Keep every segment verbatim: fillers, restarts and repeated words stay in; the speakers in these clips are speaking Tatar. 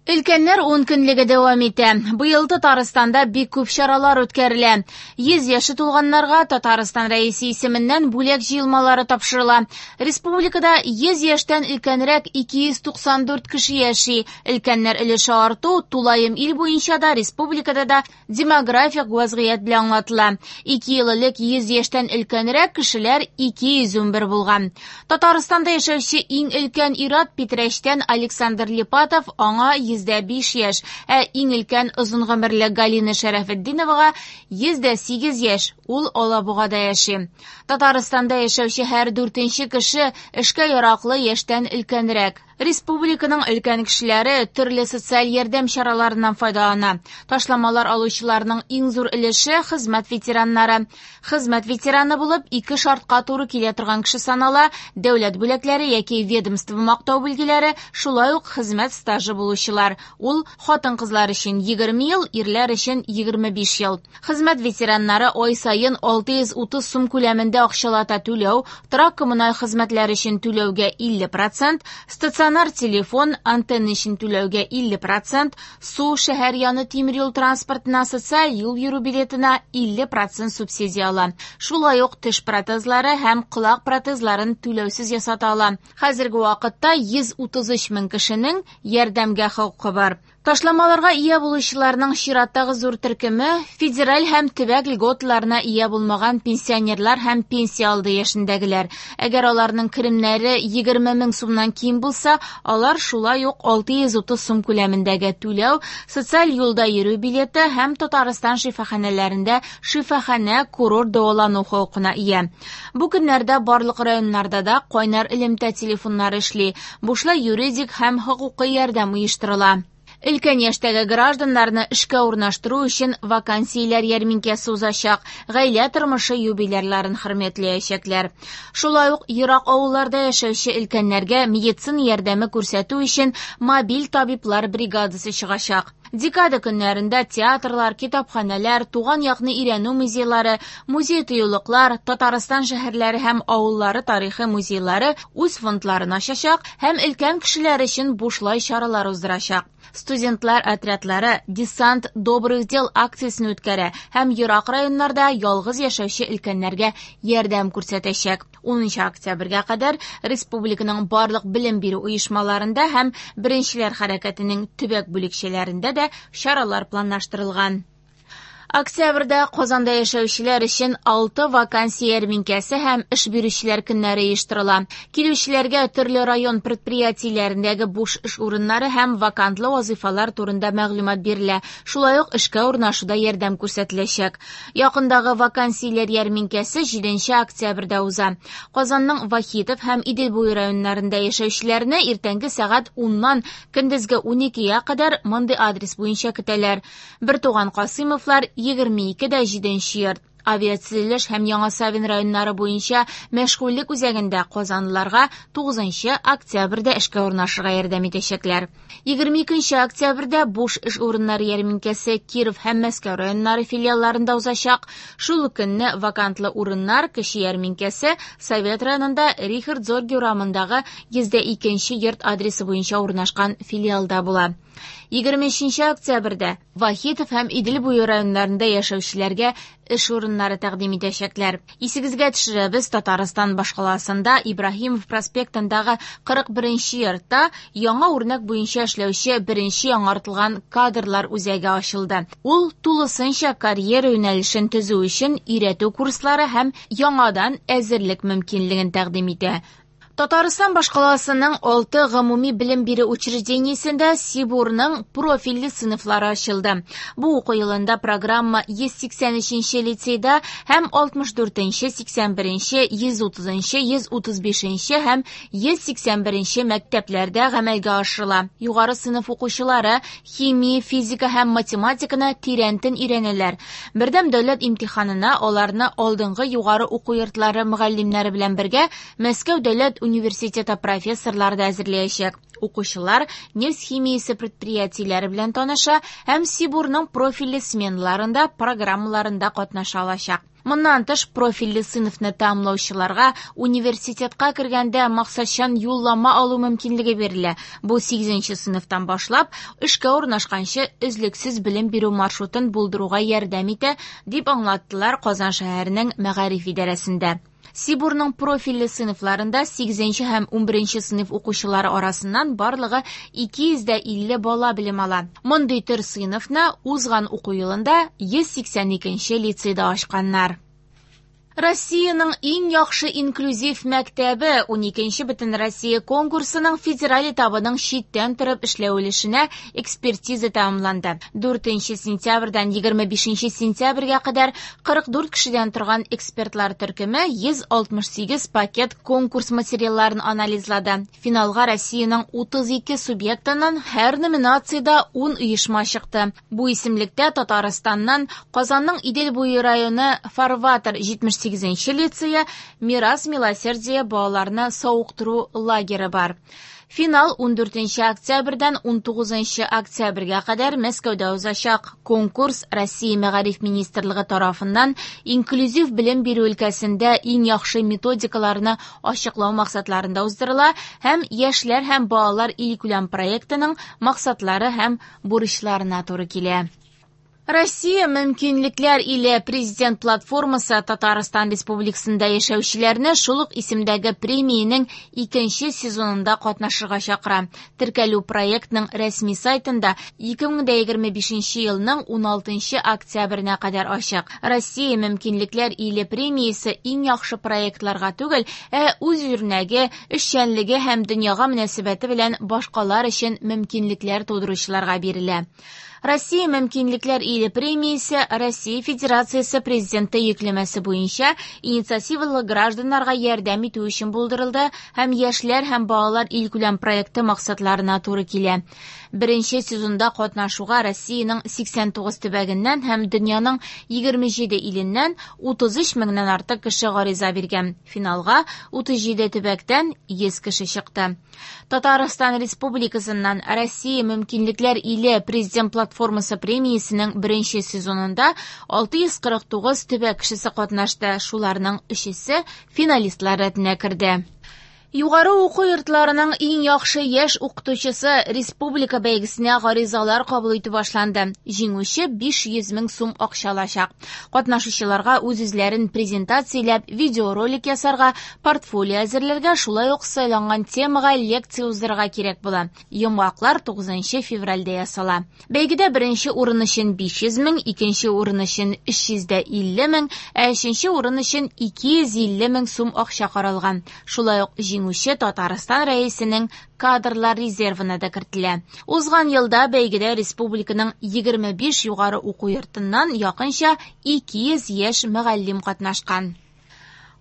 Өлкәннәр ункөнлеге дәвам итә. Быел Татарстанда бик күп чаралар үткәрелә. Йөз яше тулганнарга Татарстан Рәисе исеменнән бүләк җыелмалары тапшырыла. Республикада йөз яшьтән өлкәнрәк ике йөз туксан дүрт кеше яши. Өлкәннәр өлеше арту тулаем ил буенча да, республикада да демографик вазгыять белән аңлатыла. Ике ел элек йөз яшьтән өлкәнрәк кешеләр ике йөз унбер булган. Татарстанда яшәүче иң өлкән ир-ат Питрәчтән Александр Липатов, аңа йөз дә биш яшь, ә иң өлкән озын гомерле Галина Шәрәфетдиновага йөз дә сигез яшь, ул Алабугада яши. Татарстанда яшәүче һәр дүртенче кеше эшкә яраклы яшьтән өлкәнрәк. Республиканың өлкән кешеләре төрле социаль ярдәм чараларыннан файдалана. Ташламалар алучыларның иң зур өлеше хезмәт ветераннары. Хезмәт ветераны булып ике шартка туры килә торган кеше санала: дәүләт бүләкләре яки ведомство мактау билгеләре, шулай ук хезмәт стажы булучылар. Ул хатын-кызлар өчен егерме ел, ирләр өчен егерме биш ел. Хезмәт ветераннары ай саен алты йөз утыз сум күләмендә акчалата түләү, торак коммуналь хезмәтләр өчен түләүгә илле процент, стационар телефон, антенна өчен түләүгә илле процент, су, шәһәр яны тимер юл транспортына, социаль юл йөрү билетына илле процент субсидия ала. Шулай ук теш протезлары һәм колак протезларын түләүсез ясата ала. Хәзерге вакытта йөз утыз өч мең кешенең ярдәмгә хокукы бар. Ташламаларга ия булучыларның чираттагы зур төркеме федераль һәм төбәк льготаларына ия булмаган пенсионерлар һәм пенсия алды яшендәгеләр. Әгәр аларның керемнәре егерме мең сумнан ким булса, алар шулай ук алты йөз утыз сум күләмендәге түләү, социаль юлда йөрү билеты һәм Татарстан шифаханәләрендә шифаханә курорт дәвалану хокукына ия. Бу көннәрдә барлык районнарда да кайнар элемтә телефоннары эшли. Бушлай юридик һәм хокукый ярдәм оештырыла. Өлкән яшьтәге гражданнарны эшкә урнаштыру өчен вакансияләр ярминкәсе узачак, гаилә тормышы юбилярларын хөрмәтләячәкләр. Шулай ук ерак авылларда яшәүче өлкәннәргә медицина ярдәме күрсәтү өчен мобиль табиблар бригадасы чыгачак. Декада көннәрендә театрлар, китапханәләр, туган якны өйрәнү музейлары, музей-тыюлыклар, Татарстан шәһәрләре һәм авыллары тарихы музейлары үз фондларын ачачак һәм өлкән кешеләр өчен бушлай чаралар уздырачак. Студентлар отрядлары Десант добрых дел акциясен үткәрә һәм ерак районнарда ялгыз яшәүче өлкәннәргә ярдәм күрсәтәчәк. Унынчы октябрьгә кадәр республиканың барлык белем бирү оешмаларында һәм Беренчеләр хәрәкәтенең төбәк бүлекчәләрендә дә чаралар планлаштырылган. Октябрьдә Казанда яшәүчеләр өчен алты вакансия ярминкәсе һәм эш бирүчеләр көннәре оештырыла. Килүчеләргә төрле район предприятиеләрендәге буш эш урыннары һәм вакантлы вазифалар турында мәгълүмат бирелә. Шулай ук эшкә урнашуда ярдәм күрсәтеләчәк. Якындагы вакансияләр ярминкәсе җиденче октябрьдә уза. Казанның Вахитов һәм Идел буе районнарында яшәүчеләрне иртәнге сәгать уннан көндезге уникегә кадәр мондый адрес буенча көтәләр. Бертуган Касыймовлар егерме ике дә җиденче йорт. Авиатөзелеш һәм Яңа Савин районнары буенча мәшгульлек үзәгендә казанлыларга тугызынчы октябрьдә эшкә урнашырга ярдәм итәчәкләр. Егерме икенче октябрьдә буш эш урыннары ярминкәсе Киров һәм Мәскәү районнары филиалларында узачак. Шул ук көнне вакантлы урыннар кече ярминкәсе Совет районында Рихард Зорге урамындагы йөз дә икенче йорт адресы буенча урнашкан филиалда була. Егерме өченче октябрьдә Вахитов һәм Идел буе районнарында яшәүчеләргә эш урыннары тәкъдим итәчәкләр. Исегезгә төшерәбез, Татарстан башкаласында Ибраһимов проспектындагы кырык беренче йортта яңа үрнәк буенча эшләүче беренче яңартылган кадрлар үзәге ачылды. Ул тулысынча карьера юнәлешен төзү өчен өйрәтү курслары һәм яңадан әзерлек мөмкинлеген тәкъдим итә. Татарстан башкаласының алты гомуми белем бирү учреждениесендә Сибурның профильле сыйныфлары ачылды. Бу уку елында программа йөз сиксән өченче лицейда һәм алтмыш дүртенче, сиксән беренче, йөз утызынчы, йөз утыз бишенче һәм йөз сиксән беренче мәктәпләрдә гамәлгә ашырыла. Югары сыйныф укучылары химия, физика һәм математиканы тирәнтен өйрәнәләр. Бердәм дәүләт имтиханына аларны алдынгы югары уку йортлары мөгаллимнәре белән бергә Мәскәү дәүләт университеты профессорлары да әзерләячәк. Укучылар нефть химиясе предприятиеләре белән таныша һәм СИБУРның профильле сменаларында, программаларында катнаша алачак. Моннан тыш, профильле сыйныфны тәмамлаучыларга университетка кергәндә максатчан юллама алу мөмкинлеге бирелә. Бу сигезенче сыйныфтан башлап, эшкә урнашканчы өзлексез белем бирү маршрутын булдыруга ярдәм итә, дип аңлаттылар Казан шәһәренең мәгариф идарәсендә. СИБУРның профильле сыйныфларында сигезенче һәм унберенче сыйныф укучылары арасыннан барлыгы ике йөз дә илле бала белем ала. Мондый төр сыйныфны узган уку елында йөз сиксән икенче лицейда ачканнар. Россиянең иң яхшы инклюзив мәктәбе уникенче Бөтенроссия конкурсының федераль этабының читтән торып эшләү өлешенә экспертиза тәмамланды. Дүртенче сентябрьдән егерме бишенче сентябрьгә кадәр кырык дүрт кешедән торган экспертлар төркеме йөз алтмыш сигез пакет конкурс материалларын анализлады. Финалга Россиянең утыз ике субъектыннан һәр номинациядә ун оешма чыкты. Бу исемлектә Татарстаннан Казанның Идел буе районы Фарватер җитмеш сигезенче лицея, Мирас Милосердия балаларны савыктыру лагеры бар. Финал ундүртенче октябрьдән унтугызынчы октябрьгә кадәр Мәскәүдә узачак. Конкурс Россия Мәгариф министрлыгы тарафыннан инклюзив белем бирү өлкәсендә иң яхшы методикаларны ачыклау максатларында уздырыла һәм яшьләр һәм балалар илкүләм проектының максатлары һәм бурычларына туры килә. Россия мөмкинлекләр иле президент платформасы Татарстан Республикасында яшәүчеләрне шул ук исемдәге премиянең икенче сезонында катнашырга чакыра. Теркәлү проектның рәсми сайтында ике мең дә егерме бишенче елның уналтынчы октябренә кадәр ачык. Россия мөмкинлекләр иле премиясе иң яхшы проектларга түгел, ә үз үрнәге, эшчәнлеге һәм дөньяга мөнәсәбәте белән башкалар өчен мөмкинлекләр тудыручыларга бирелә. Россия мөмкинлекләр иле премиясе Россия Федерациясе президенты йөкләмәсе буенча инициативалы гражданнарга ярдәм итү өчен булдырылды һәм яшьләр һәм балалар илкүләм проекты максатларына туры килә. Беренче сезонда катнашуга Россиянең сиксән тугыз төбәгеннән һәм дөньяның егерме җиде иленнән утыз өч меңнән артык кеше гариза биргән. Финалга утыз җиде төбәктән йөз кеше чыкты. Татарстан Республикасыннан Россия мөмкинлекләр иле президент платформасы премиясенең беренче сезонында алты йөз кырык тугыз төбәк кешесе катнашты. Шуларның өчесе финалистлар рәтенә керде. Югары уку йортларының иң яхшы яшь укытучысы республика бәйгесенә гаризалар кабул итү башланды. Җиңүче биш йөз мең сум акча алачак. Катнашучыларга үз-үзләрен презентацияләп, видеоролик ясарга, портфолио әзерләргә, шулай ук сайланган темага лекция уздырырга кирәк була. Йомгаклар тугызынчы февральдә ясала. Бәйгедә беренче урын өчен биш йөз мең, икенче урын өчен өч йөз дә илле мең, ә өченче урын өчен ике йөз илле мең сум акча каралган. Шулай ук җиңүче Татарстан рәисенең кадрлар резервына да кертелә. Узган елда бәйгедә республиканың егерме биш югары уку йортыннан якынча ике йөз яшь мөгаллим катнашкан.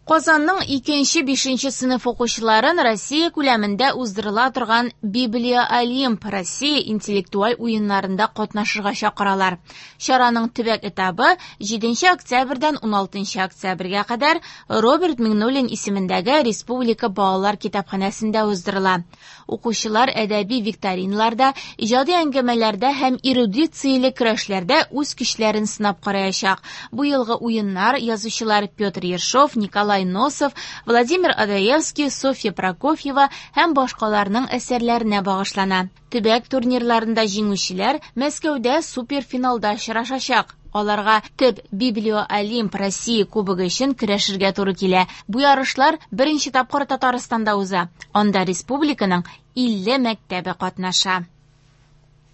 Казанның икенче бишенче сыйныф укучыларын Россия күләмендә уздырыла торган Библия Олимп Россия интеллектуаль уеннарында катнашырга чакыралар. Чараның төбәк этабы җиденче октябрьдән уналтынчы октябрьгә кадәр Роберт Миңнуллин исемендәге Республика балалар китапханәсендә уздырыла. Укучылар әдәби викториналарда, иҗади әңгәмәләрдә һәм эрудицияле көрәшләрдә үз көчләрен сынап караячак. Бу елгы уеннар язучылар Петр Ершов, Николай Носов, Владимир Адаевский, Софья Прокофьева һәм башкаларның әсәрләренә багышлана. Төбәк турнирларында җиңүчеләр Мәскәүдә суперфиналда очрашачак. Аларга төп Библио Олимп Россия кубогы өчен көрәшергә туры килә. Бу ярышлар беренче тапкыр Татарстанда уза. Анда республиканың илле мәктәбе катнаша.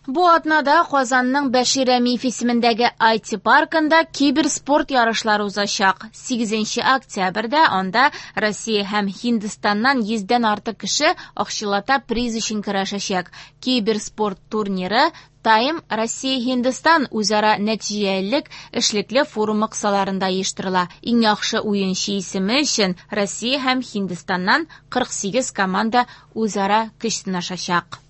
Бу атнада Казанның Бәшир Рәмиев исемендәге ай ти паркында киберспорт ярышлары узачак. Сигезенче октябрьдә анда Россия һәм Һиндстаннан йөздән артык кеше акчалата приз өчен көрәшәчәк. Киберспорт турниры Тайм Россия Һиндстан үзара нәтиҗәлелек эшлекле форумы кысаларында оештырыла. Иң яхшы уенчы исеме өчен Россия һәм Һиндстаннан кырык сигез команда үзара көч сынашачак.